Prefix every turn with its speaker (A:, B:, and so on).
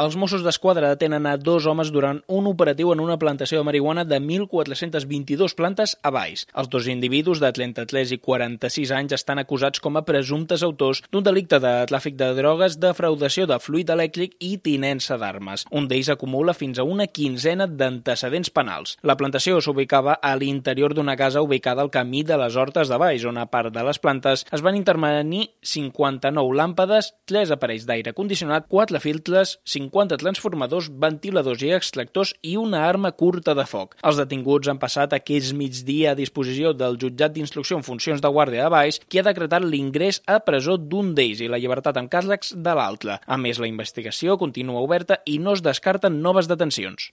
A: Els Mossos d'Esquadra detenen a 2 homes durant un operatiu en una plantació de marihuana de 1.422 plantes a Valls. Els 2 individus de 33 i 46 anys estan acusats com a presumptes autors d'un delicte de tràfic de drogues, defraudació de fluid elèctric i tinença d'armes. Un d'ells acumula fins a una quinzena d'antecedents penals. La plantació s'ubicava a l'interior d'una casa ubicada al camí de les Hortes de Valls, on a part de les plantes es van intervenir 59 làmpades, 3 aparells d'aire condicionat, 4 filtres, 50 transformadors, ventiladors i extractors i una arma curta de foc. Els detinguts han passat aquest migdia a disposició del jutjat d'instrucció en funcions de guàrdia de Valls, qui ha decretat l'ingrés a presó d'un d'ells i la llibertat amb càrrecs de l'altre. A més, la investigació continua oberta i no es descarten noves detencions.